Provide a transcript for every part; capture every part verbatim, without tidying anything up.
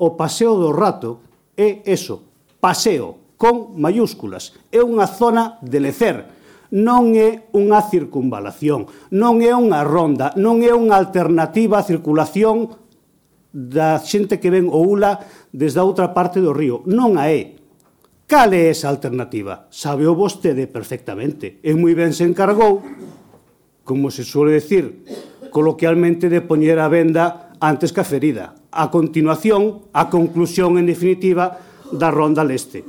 o Paseo do Rato é eso, paseo, con mayúsculas. É unha zona de lecer, non é unha circunvalación, non é unha ronda, non é unha alternativa á circulación da xente que ven o Ula desde a outra parte do río. Non a é. Cal é esa alternativa? Sabeo vostede perfectamente. E moi ben se encargou, como se suele decir coloquialmente, de poñer a venda antes que a ferida. A continuación, a conclusión en definitiva da Ronda Leste.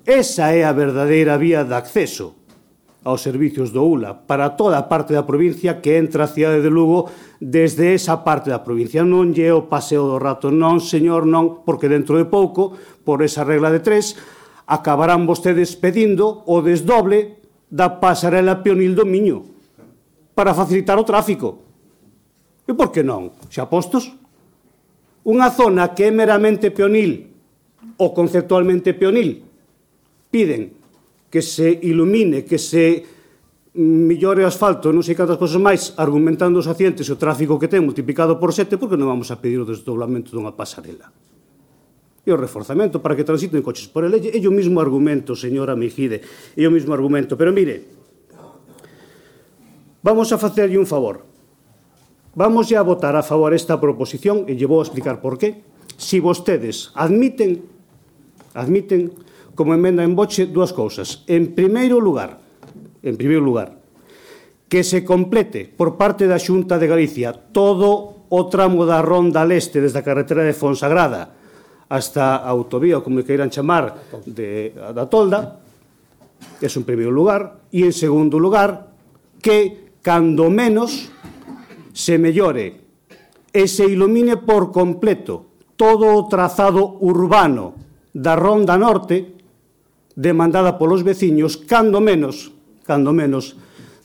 Esa é a verdadeira vía de acceso aos servicios do Ula para toda a parte da provincia que entra a cidade de Lugo desde esa parte da provincia. Non lle o Paseo do Rato, non, señor, non, porque dentro de pouco, por esa regla de tres, acabarán vostedes pedindo o desdoble da pasarela peonil do Miño para facilitar o tráfico. E por que non? Xa postos? Unha zona que é meramente peonil ou conceptualmente peonil, piden que se ilumine, que se millore o asfalto, non sei cantas cosas máis, argumentando os accidentes e o tráfico que ten multiplicado por sete, porque non vamos a pedir o desdoblamento dunha pasarela? E o reforzamento para que transiten coches por ele, é o mesmo argumento, señora Mejide, é o mesmo argumento. Pero mire, vamos a facerlle un favor. Vamos a votar a favor esta proposición e lle vou a explicar por qué. Si vostedes admiten, admiten como emenda en boche dúas cousas. En primeiro lugar, en primeiro lugar, que se complete por parte da Xunta de Galicia todo o tramo da Ronda Leste desde a carretera de Fonsagrada hasta a autovía, como queiran chamar, de, da Tolda, é en primeiro lugar, e en segundo lugar, que, cando menos, se mellore e se ilumine por completo todo o trazado urbano da Ronda Norte demandada polos veciños, cando menos, cando menos,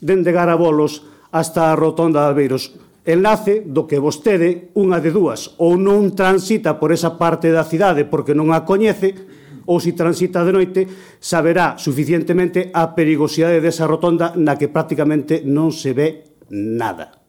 dende Garabolos hasta a Rotonda de Albeiros. Enlace do que vostede, unha de dúas, ou non transita por esa parte da cidade porque non a coñece, ou se transita de noite, saberá suficientemente a perigosidade desa rotonda na que prácticamente non se ve nada.